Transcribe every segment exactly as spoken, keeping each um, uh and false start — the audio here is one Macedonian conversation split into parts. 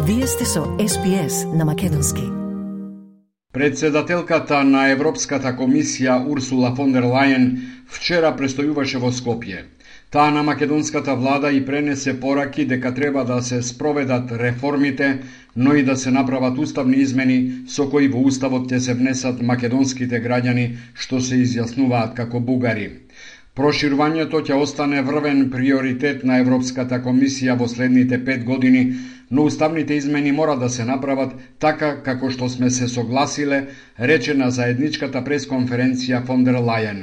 Вие сте со Ес Би Ес на македонски. Председателката на Европската комисија Урсула фон дер Лајен вчера престојуваше во Скопје. Таа на македонската влада и пренесе пораки дека треба да се спроведат реформите, но и да се направат уставни измени со кои во уставот ќе се внесат македонските граѓани што се изјаснуваат како бугари. Проширувањето ќе остане врвен приоритет на Европската комисија во следните пет години, но уставните измени мора да се направат така како што сме се согласиле, рече на заедничката пресконференција фон дер Лајен.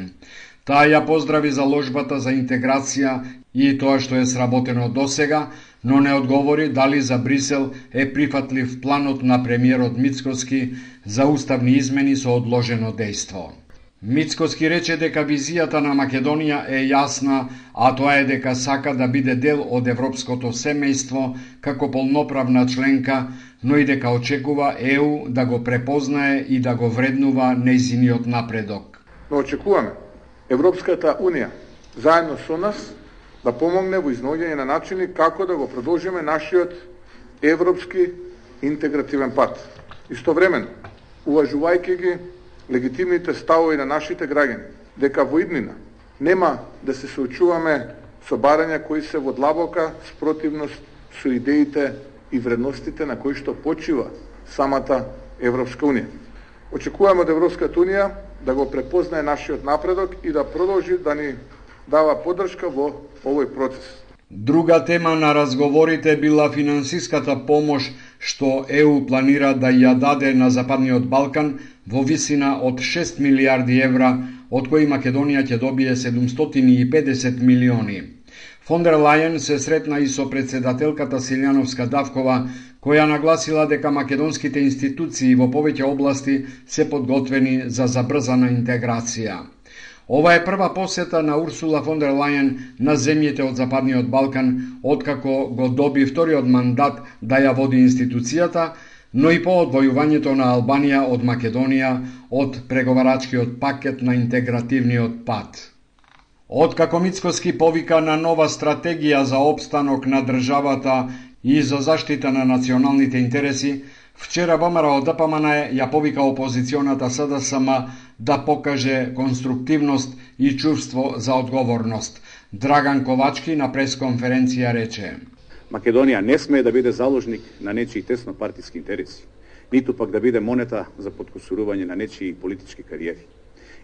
Таа ја поздрави заложбата за интеграција и тоа што е сработено досега, но не одговори дали за Брисел е прифатлив планот на премиерот Мицкоски за уставни измени со одложено дејство. Мицкоски рече дека визијата на Македонија е јасна, а тоа е дека сака да биде дел од европското семејство како полноправна членка, но и дека очекува Е У да го препознае и да го вреднува нејзиниот напредок. Но очекуваме Европската Унија заедно со нас да помогне во изнаоѓање на начини како да го продолжиме нашиот европски интегративен пат. Истовремено, уважувајќи ги легитимните ставови на нашите граѓани, дека во иднина нема да се соочуваме со барања кои се во длабока спротивност со идеите и вредностите на кои што почива самата Европска Унија. Очекуваме од Европската Унија да го препознае нашиот напредок и да продолжи да ни дава поддршка во овој процес. Друга тема на разговорите била финансиската помош што Е У планира да ја даде на Западниот Балкан во висина од шест милијарди евра, од кои Македонија ќе добие седумстотини и педесет милиони. Фон дер Лајен се сретна и со председателката Силјановска-Давкова, која нагласила дека македонските институции во повеќе области се подготвени за забрзана интеграција. Ова е прва посета на Урсула фон дер Лајен на земјите од Западниот Балкан, откако го доби вториот мандат да ја води институцијата, но и по одвојувањето на Албанија од Македонија од преговарачкиот пакет на интегративниот пат. Откако Мицкоски повика на нова стратегија за опстанок на државата и за заштита на националните интереси, вчера ВМРО Д П М Н ја повика опозиционата С Д С М да покаже конструктивност и чувство за одговорност. Драган Ковачки на пресконференција рече: Македонија не смее да биде заложник на нечии теснопартиски интереси, ниту пак да биде монета за подкусурување на нечии политички кариери.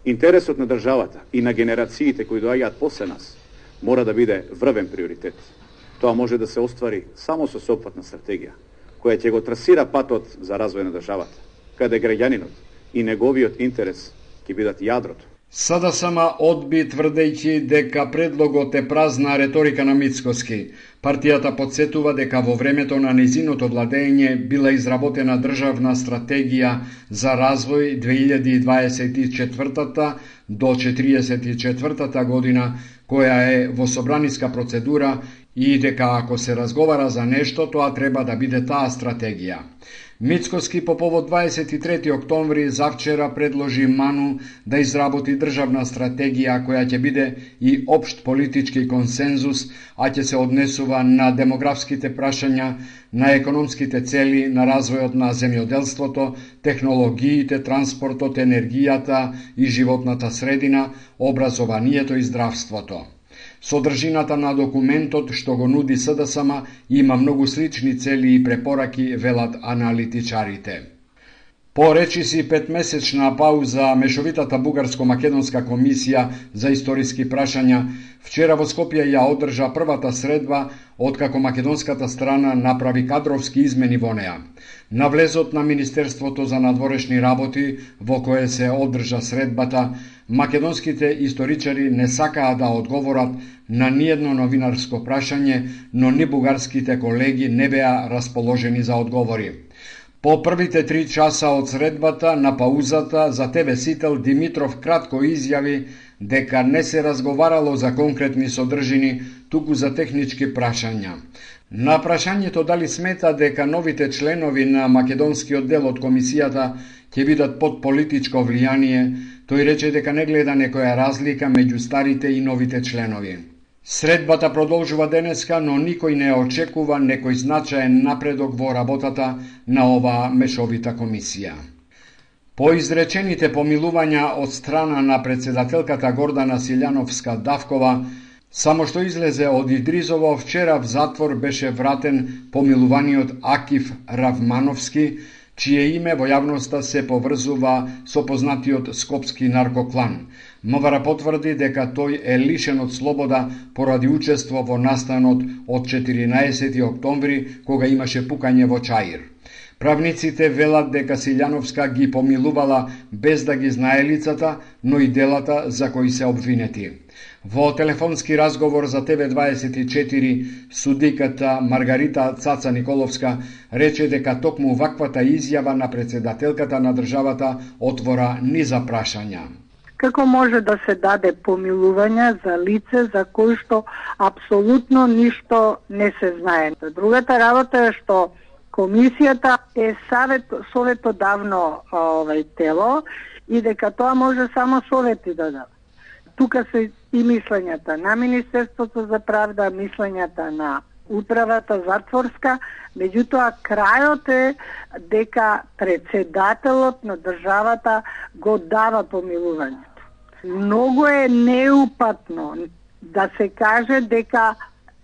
Интересот на државата и на генерациите кои доаѓаат после нас мора да биде врвен приоритет. Тоа може да се оствари само со сеопфатна стратегија, која ќе го трасира патот за развој на државата, каде граѓанинот и неговиот интерес ќе бидат јадрото. С Д С М одби тврдејќи дека предлогот е празна реторика на Мицкоски. Партијата подсетува дека во времето на незиното владење била изработена државна стратегија за развој две илјади дваесет и четврта до четириесет и четвртата година, која е во собраниска процедура и дека ако се разговара за нешто, тоа треба да биде таа стратегија. Мицкоски по повод дваесет и трети октомври завчера предложи Ману да изработи државна стратегија која ќе биде и општ политички консензус, а ќе се однесува на демографските прашања, на економските цели, на развојот на земјоделството, технологиите, транспортот, енергијата и животната средина, образованието и здравството. Содржината на документот што го нуди С Д С М има многу слични цели и препораки, велат аналитичарите. По речиси петмесечна пауза, мешовитата бугарско-македонска комисија за историски прашања вчера во Скопје ја одржа првата средба откако македонската страна направи кадровски измени во неа. На влезот на Министерството за надворешни работи, во кое се одржа средбата, македонските историчари не сакаа да одговорат на ниедно новинарско прашање, но ни бугарските колеги не беа расположени за одговори. По првите три часа од средбата на паузата за Те В Сител Димитров кратко изјави дека не се разговарало за конкретни содржини, туку за технички прашања. На прашањето дали смета дека новите членови на македонскиот дел од комисијата ќе бидат под политичко влијание, тој рече дека не гледа некоја разлика меѓу старите и новите членови. Средбата продолжува денеска, но никој не очекува некој значаен напредок во работата на оваа мешовита комисија. По изречените помилувања од страна на председателката Гордана Силјановска-Давкова, само што излезе од Идризово, вчера в затвор беше вратен помилуваниот Акиф Равмановски, чие име во јавноста се поврзува со познатиот скопски наркоклан. МВР потврди дека тој е лишен од слобода поради учество во настанот од четиринаесети октомври, кога имаше пукање во Чаир. Правниците велат дека Силјановска ги помилувала без да ги знае лицата, но и делата за кои се обвинети. Во телефонски разговор за Т В дваесет и четири, судиката Маргарита Цаца Николовска рече дека токму ваквата изјава на председателката на државата отвора низа прашања. Како може да се даде помилување за лице за кој што апсолутно ништо не се знае? Другата работа е што комисијата е savjet, советодавно овај тело и дека тоа може само совети да даде. Тука се и мислењата на Министерството за правда, мислењата на управата затворска, меѓутоа крајот е дека председателот на државата го дава помилувањето. Многу е неупатно да се каже дека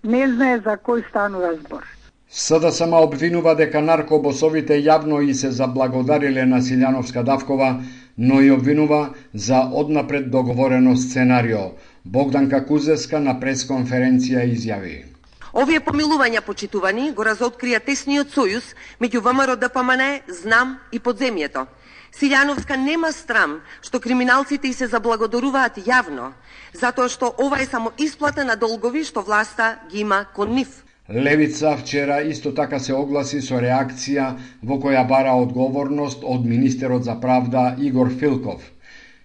не знае за кој станува збор. СДСМ обвинува дека наркобосовите јавно и се заблагодариле на Силјановска-Давкова, но и обвинува за однапред договорено сценарио. Богданка Кузеска на пресконференција изјави: Овие помилувања, почитувани, го разоткрија тесниот сојуз меѓу ВМРО Д П М Н, Знам и подземјето. Силјановска нема страм што криминалците и се заблагодаруваат јавно, затоа што ова е само исплата на долгови што власта ги има кон нив. Левица вчера исто така се огласи со реакција во која бара одговорност од министерот за правда Игор Филков.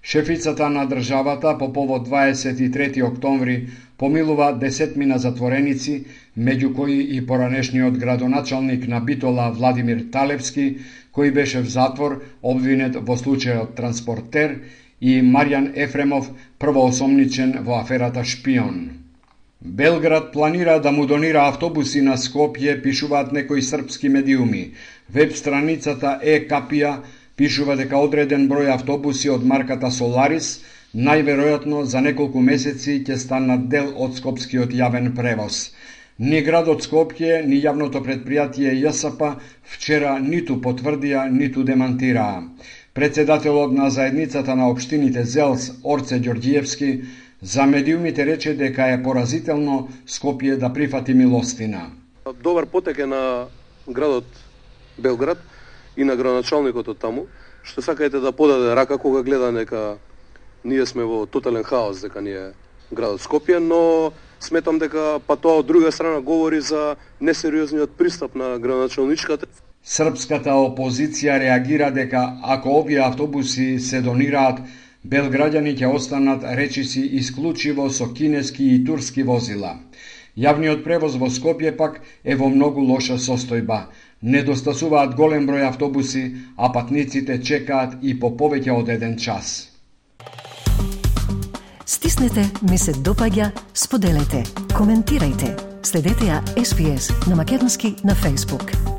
Шефицата на државата по повод дваесет и трети октомври помилува десетмина затвореници, меѓу кои и поранешниот градоначалник на Битола Владимир Талевски, кој беше в затвор обвинет во случајот Транспортер, и Маријан Ефремов, првоосомничен во аферата Шпион. Белград планира да му донира автобуси на Скопје, пишуваат некои српски медиуми. Веб страницата Е-Капија пишува дека одреден број автобуси од марката Соларис најверојатно за неколку месеци ќе станат дел од скопскиот јавен превоз. Ни градот Скопје, ни јавното предпријатие Ја С П вчера ниту потврдија, ниту демантираа. Председателот на заедницата на општините Зелс, Орце Ѓорѓиевски, за медиумите рече дека е поразително Скопје да прифати милостина. Добар потек е на градот Белград и на градоначалникот од таму, што сакајте да подаде рака кога гледа дека ние сме во тотален хаос, дека ни е градот Скопје, но сметам дека па тоа од друга страна говори за несериозниот пристап на градоначалничката. Српската опозиција реагира дека ако овие автобуси се донираат, белграѓани ќе останат речиси исклучиво со кинески и турски возила. Јавниот превоз во Скопје пак е во многу лоша состојба. Недостасуваат голем број автобуси, а патниците чекаат и по повеќе од еден час. Стиснете, ми се допаѓа, споделете, коментирајте. Следете ја С П С на Македонски на Facebook.